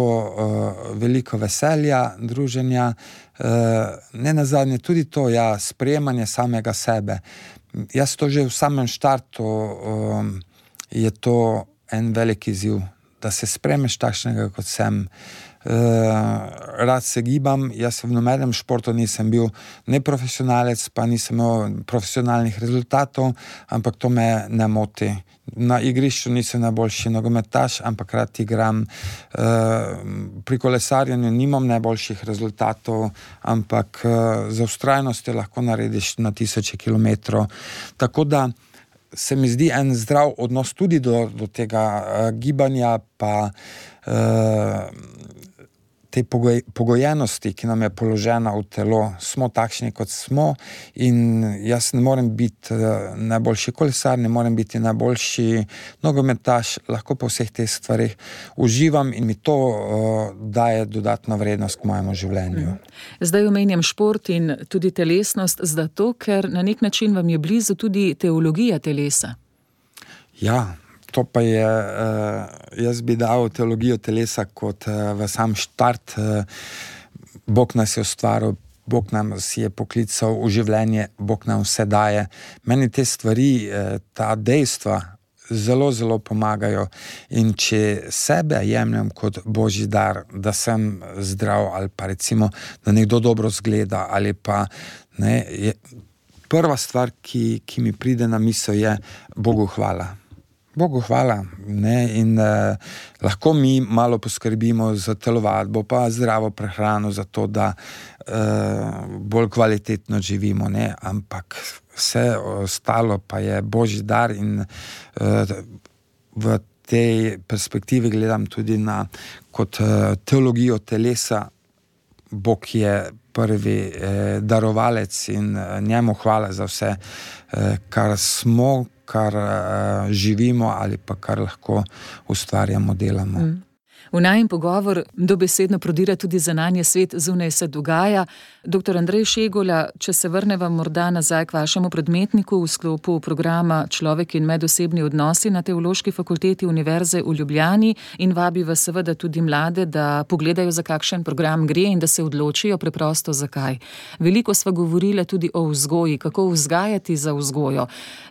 veliko veselja, druženja, ne nazadnje tudi to, sprejemanje samega sebe. Jaz to že v samem štartu je to en velik izziv, da se sprejmeš takšnega, kot sem, rad se gibam, jaz v nobenem športu nisem bil neprofesionalec, pa nisem imel profesionalnih rezultatov, ampak to me ne moti. Na igrišču nisem najboljši nogometaš, ampak rad igram. Pri kolesarjenju nimam najboljših rezultatov, ampak z vztrajnostjo lahko narediš na 1000 kilometrov. Tako da se mi zdi en zdrav odnos tudi do tega gibanja, pa te pogojenosti, ki nam je položena v telo. Smo takšni, kot smo, in jaz ne morem biti najboljši kolesar, ne morem biti najboljši nogometaš, lahko po vseh teh stvarih uživam in mi to daje dodatno vrednost k mojemu življenju. Zdaj omenjam šport in tudi telesnost, zato ker na nek način vam je blizu tudi teologija telesa. Ja, to pa je, jaz bi dal teologijo telesa kot v sam štart. Bog nas je ustvaril, Bog nam si je poklical v življenje, Bog nam vse daje. Meni te stvari, ta dejstva zelo, zelo pomagajo. In če sebe jemljem kot božji dar, da sem zdrav, ali pa recimo, da nekdo dobro zgleda, ali pa ne, prva stvar, ki mi pride na misel, je Bogu hvala. Bogu hvala, ne, in lahko mi malo poskrbimo za telovadbo, pa zdravo prehrano, za to, da bolj kvalitetno živimo, ne, ampak vse ostalo pa je božji dar in v tej perspektivi gledam tudi na kot teologijo telesa. Bog je prvi darovalec in njemu hvala za vse, kar smo, kar živimo ali pa kar lahko ustvarjamo, delamo. V najin pogovor dobesedno prodira tudi zunanji svet, zunaj se dogaja. Dr. Andrej Šegula, če se vrneva morda nazaj k vašemu predmetniku v sklopu programa Človek in medosebni odnosi na Teološki fakulteti Univerze v Ljubljani, in vabi vas seveda tudi mlade, da pogledajo, za kakšen program gre in da se odločijo preprosto zakaj. Veliko sva govorila tudi o vzgoji, kako vzgajati za vzgojo.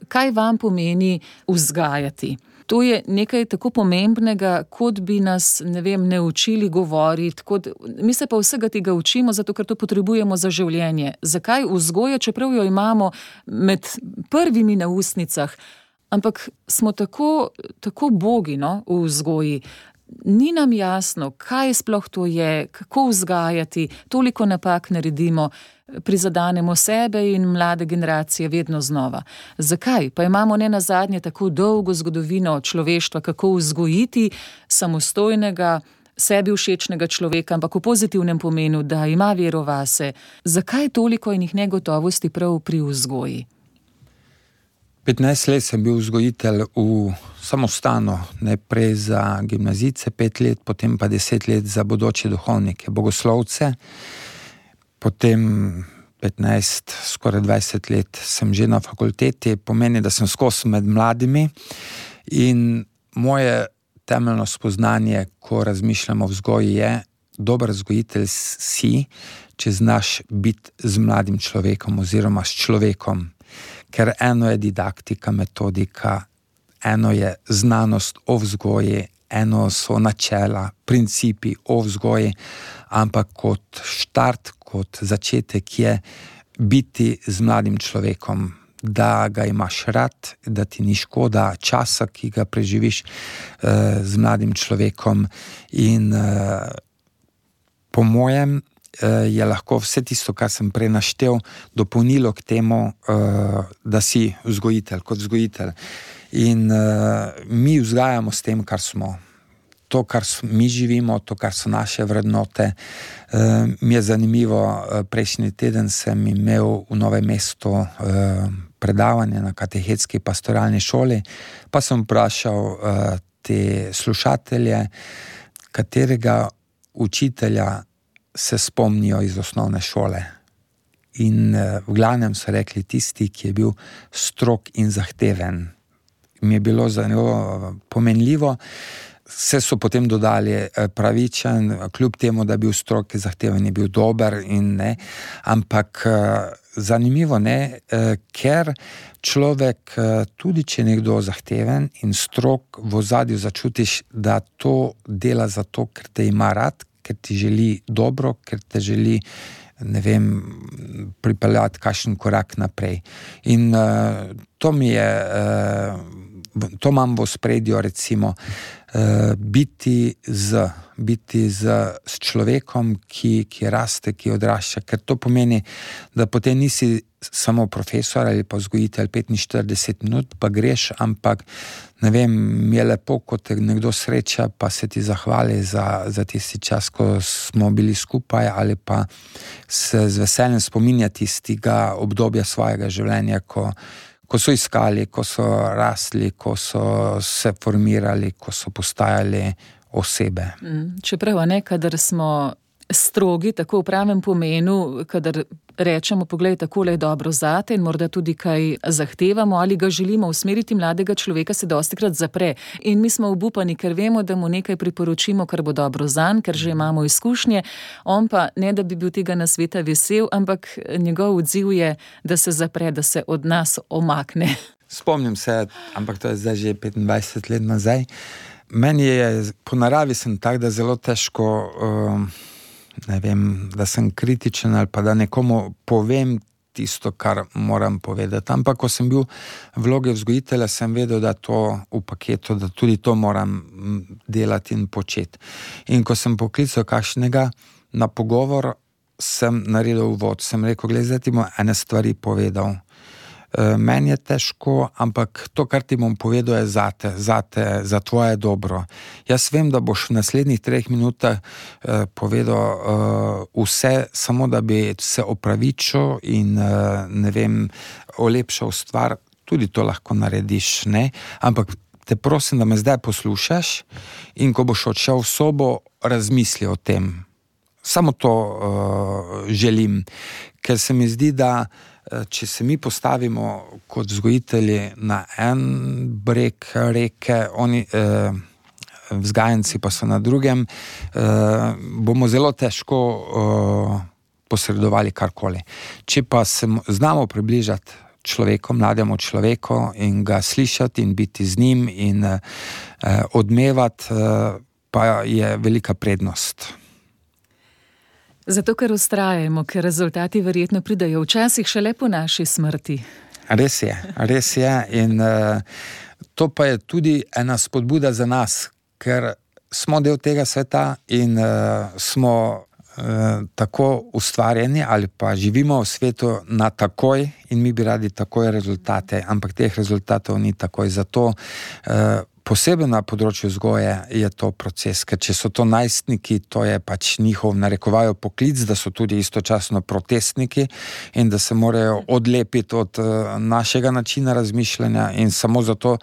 Kaj vam pomeni vzgajati? To je nekaj tako pomembnega, kot bi nas, ne učili govoriti, mi se pa vsega tega učimo, zato ker to potrebujemo za življenje. Zakaj vzgoja, čeprav jo imamo med prvimi na ustnicah, ampak smo tako bogi, v vzgoji. Ni nam jasno, kaj sploh to je, kako vzgajati, toliko napak naredimo, prizadanemo sebe in mlade generacije vedno znova. Zakaj? Pa imamo nenazadnje tako dolgo zgodovino človeštva, kako vzgojiti samostojnega, sebi všečnega človeka, ampak v pozitivnem pomenu, da ima vero vase. Zakaj toliko enih negotovosti prav pri vzgoji? 15 let sem bil vzgojitelj v samostanu, najprej za gimnazijce 5 let, potem pa 10 let za bodoče duhovnike, bogoslovce. Potem 15, skoraj 20 let sem že na fakulteti, pomeni, da sem skozi med mladimi, in moje temeljno spoznanje, ko razmišljamo o vzgoji, je, dober vzgojitelj si, če znaš biti z mladim človekom oziroma s človekom. Ker eno je didaktika, metodika, eno je znanost o vzgoji, eno so načela, principi o vzgoji, ampak kot štart, kot začetek je biti z mladim človekom, da ga imaš rad, da ti ni škoda časa, ki ga preživiš z mladim človekom, in po mojem je lahko vse tisto, kar sem prej naštel, dopolnilo k temu, da si vzgojitelj, kot vzgojitelj. In mi vzgajamo s tem, kar smo. To, kar mi živimo, to, kar so naše vrednote. Mi je zanimivo, prejšnji teden sem imel v Novem mestu predavanje na katehetski pastoralni šoli, pa sem vprašal te slušatelje, katerega učitelja se spomnijo iz osnovne šole. In v glavnem so rekli tisti, ki je bil strog in zahteven. Mi je bilo zelo pomenljivo. Vse so potem dodali pravičen, kljub temu, da je bil strog, zahteven, je bil dober in ne. Ampak zanimivo, ne, ker človek, tudi če je nekdo zahteven in strog, v ozadju začutiš, da to dela zato, ker te ima rad, ker ti želi dobro, ker te želi, ne vem, pripeljati kakšen korak naprej. In to mi je, to imam v ospredju, recimo, biti s človekom, ki raste, ki odrašča, ker to pomeni, da potem nisi samo profesor ali pa vzgojitelj 45 minut, pa greš, ampak ne vem, mi je lepo, ko te nekdo sreča, pa se ti zahvali za tisti čas, ko smo bili skupaj, ali pa se z veseljem spominja tistega obdobja svojega življenja, ko so iskali, ko so rasli, ko so se formirali, ko so postajali osebe. Čeprav, kadar smo strogi, tako v pravem pomenu, kadar rečemo, poglej, takole je dobro zate in morda tudi kaj zahtevamo ali ga želimo usmeriti, mladega človeka se dostikrat zapre. In mi smo obupani, ker vemo, da mu nekaj priporočimo, kar bo dobro zanj, ker že imamo izkušnje. On pa ne, da bi bil tega nasveta vesel, ampak njegov odziv je, da se zapre, da se od nas omakne. Spomnim se, ampak to je zdaj že 25 let nazaj. Meni je, po naravi sem tak, da zelo težko, ne vem, da sem kritičen ali pa da nekomu povem tisto, kar moram povedati. Ampak, ko sem bil v vlogi vzgojitelja, sem vedel, da to v paketu, da tudi to moram delati in početi. In ko sem poklical kakšnega na pogovor, sem naredil uvod. Sem rekel, glej, zdaj ti bom ene stvari povedal. Meni je težko, ampak to, kar ti bom povedal, je zate, za tvoje dobro. Jaz vem, da boš v naslednjih 3 minutah povedal vse, samo da bi se opravičil in, ne vem, olepšal stvar. Tudi to lahko narediš, ne? Ampak te prosim, da me zdaj poslušaš in ko boš odšel v sobo, razmisli o tem. Samo to želim, ker se mi zdi, da če se mi postavimo kot vzgojitelji na en breg reke, oni vzgajanci pa so na drugem, bomo zelo težko posredovali karkoli. Če pa se znamo približati človeku, mlademu človeku in ga slišati in biti z njim in odmevati, pa je velika prednost. Zato, ker vztrajamo, ker rezultati verjetno pridejo včasih šele po naši smrti. Res je. In to pa je tudi ena spodbuda za nas, ker smo del tega sveta in smo tako ustvarjeni ali pa živimo v svetu na takoj in mi bi radi takoj rezultate, ampak teh rezultatov ni takoj. Zato posebej na področju vzgoje je to proces, ker če so to najstniki, to je pač njihov narekovajo poklic, da so tudi istočasno protestniki in da se morajo odlepiti od našega načina razmišljanja in samo zato,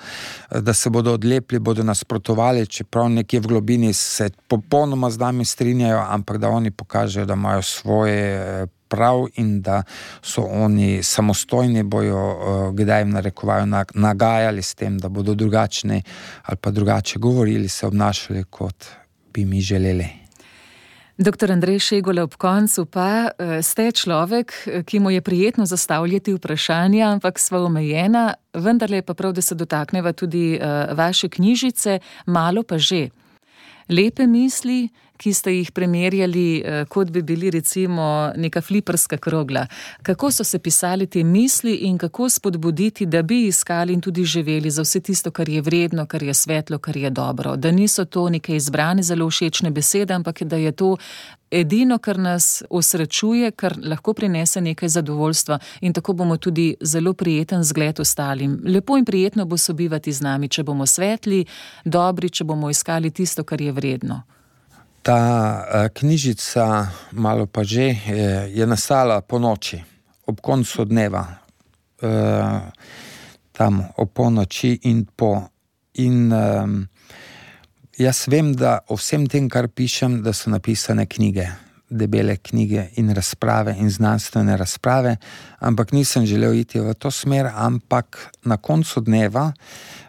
da se bodo odlepili, bodo nasprotovali, čeprav nekje v globini se popolnoma z nami strinjajo, ampak da oni pokažejo, da imajo svoje prav in da so oni samostojni, bojo kdaj jim narekovajo nagajali s tem, da bodo drugačni ali pa drugače govorili, se obnašali, kot bi mi želeli. Doktor Andrej Šegula, ob koncu pa ste človek, ki mu je prijetno zastavljati vprašanja, ampak sva omejena, vendarle je pa prav, da se dotakneva tudi vaše knjižice, malo pa že. Lepe misli, ki ste jih primerjali, kot bi bili recimo neka fliperska krogla. Kako so se pisali te misli in kako spodbuditi, da bi iskali in tudi živeli za vse tisto, kar je vredno, kar je svetlo, kar je dobro. Da niso to neke izbrane, zelo všečne besede, ampak da je to edino, kar nas osrečuje, kar lahko prinese nekaj zadovoljstva in tako bomo tudi zelo prijeten zgled ostalim. Lepo in prijetno bo sobivati z nami, če bomo svetli, dobri, če bomo iskali tisto, kar je vredno. Ta knjižica, malo pa že, je nastala po noči, ob koncu dneva, tam o polnoči in po. In jaz vem, da o vsem tem, kar pišem, da so napisane knjige, debele knjige in razprave in znanstvene razprave, ampak nisem želel iti v to smer, ampak na koncu dneva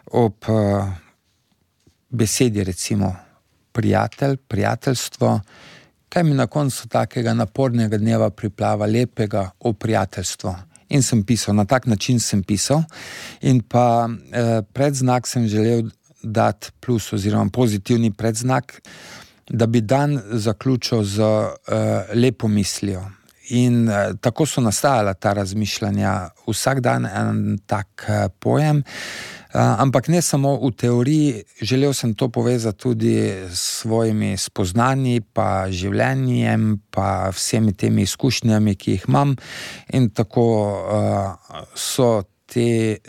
ob besedi recimo prijatelj, prijateljstvo, kaj mi na koncu takega napornega dneva priplava lepega o prijateljstvo. In sem pisal, na tak način sem pisal in pa predznak sem želel dati plus oziroma pozitivni predznak, da bi dan zaključil z lepo mislijo. In tako so nastajala ta razmišljanja, vsak dan en tak pojem, ampak ne samo v teoriji, želel sem to povezati tudi s svojimi spoznanji, pa življenjem, pa vsemi temi izkušnjami, ki jih imam, in tako so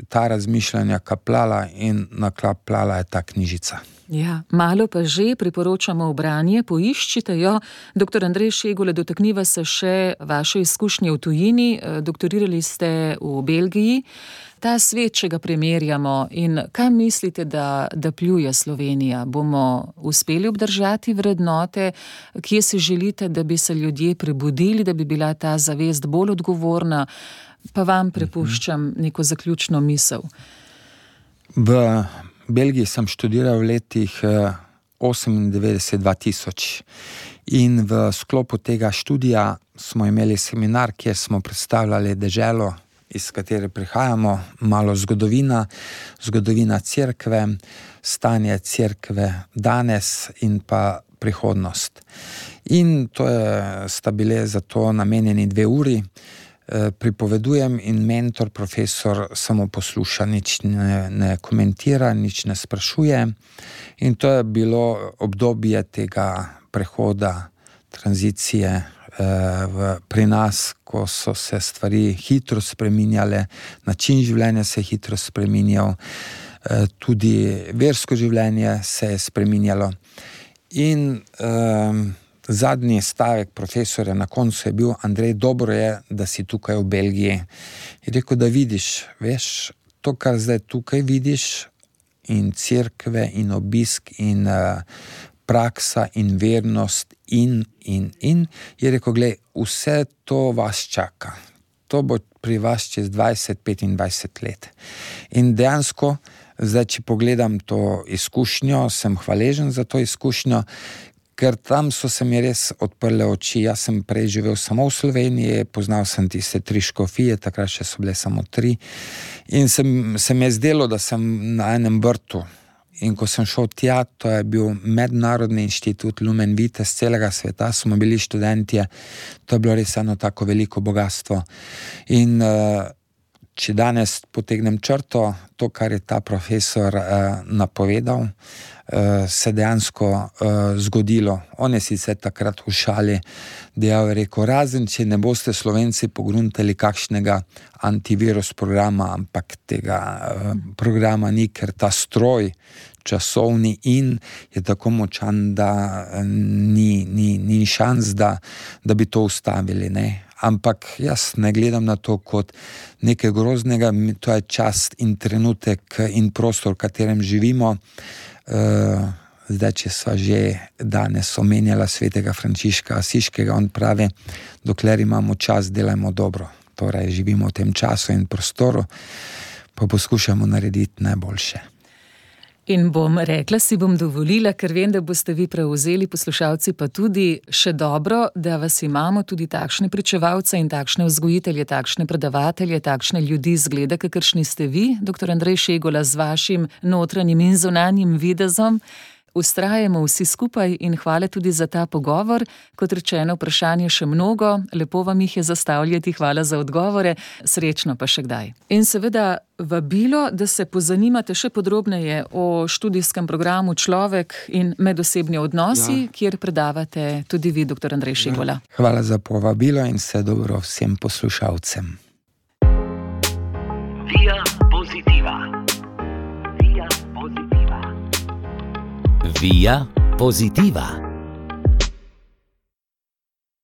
ta razmišljanja kapljala in naklapljala je ta knjižica. Ja, malo pa že priporočamo v branje, poiščite jo. Dr. Andrej Šegula, dotakniva se še vaše izkušnje v tujini, doktorirali ste v Belgiji. Ta svet, če ga primerjamo, in kaj mislite, da pljuje Slovenija? Bomo uspeli obdržati vrednote? Kje si želite, da bi se ljudje prebudili, da bi bila ta zavest bolj odgovorna? Pa vam prepuščam neko zaključno misel. V Belgiji sem študiral v letih 1998-2000 in v sklopu tega študija smo imeli seminar, kjer smo predstavljali deželo, iz katere prihajamo, malo zgodovina cerkve, stanje cerkve danes in pa prihodnost. In sta bile za to namenjeni 2 uri. Pripovedujem in mentor, profesor, samo posluša, nič ne komentira, nič ne sprašuje. In to je bilo obdobje tega prehoda, tranzicije pri nas, ko so se stvari hitro spreminjale, način življenja se je hitro spreminjal, tudi versko življenje se je spreminjalo. In zadnji stavek profesorja na koncu je bil: Andrej, dobro je, da si tukaj v Belgiji. Je rekel, da vidiš, veš, to, kar zdaj tukaj vidiš, in cerkve, in obisk, in praksa, in vernost, in. Je rekel, glej, vse to vas čaka. To bo pri vas čez 20-25 let. In dejansko, zdaj, če pogledam to izkušnjo, sem hvaležen za to izkušnjo, ker tam so se mi res odprle oči. Jaz sem prej živel samo v Sloveniji, poznal sem tiste 3 škofije, takrat še so bile samo 3. In se mi je zdelo, da sem na enem vrtu. In ko sem šel tja, to je bil mednarodni inštitut Lumen Vitae z celega sveta, smo bili študentje, to je bilo res eno tako veliko bogatstvo. In če danes potegnem črto, to, kar je ta profesor napovedal, se dejansko zgodilo. On je sicer takrat v šali dejal, rekel, razen če ne boste Slovenci pogruntali kakšnega antivirus programa, ampak tega programa ni, ker ta stroj časovni in je tako močan, da ni šans, da bi to ustavili, ne. Ampak jaz ne gledam na to kot nekaj groznega, to je čas in trenutek in prostor, v katerem živimo. Zdaj, če sva že danes omenjala svetega Frančiška Asiškega, on pravi, dokler imamo čas, delajmo dobro. Torej, živimo v tem času in prostoru, pa poskušamo narediti najboljše. In bom rekla, si bom dovolila, ker vem, da boste vi prevzeli, poslušalci pa tudi, še dobro, da vas imamo tudi takšne pričevalce in takšne vzgojitelje, takšne predavatelje, takšne ljudi zgleda, kakršni ste vi, dr. Andrej Šegula, z vašim notranjim in zunanjim videzom. Vztrajamo vsi skupaj in hvala tudi za ta pogovor. Kot rečeno, vprašanje še mnogo, lepo vam jih je zastavljati, hvala za odgovore, srečno pa še kdaj. In seveda vabilo, da se pozanimate še podrobneje o študijskem programu Človek in medosebni odnosi, kjer predavate tudi vi, dr. Andrej Šegula. Hvala za povabilo in vse dobro vsem poslušalcem. Via Positiva. Via Positiva. Via Positiva.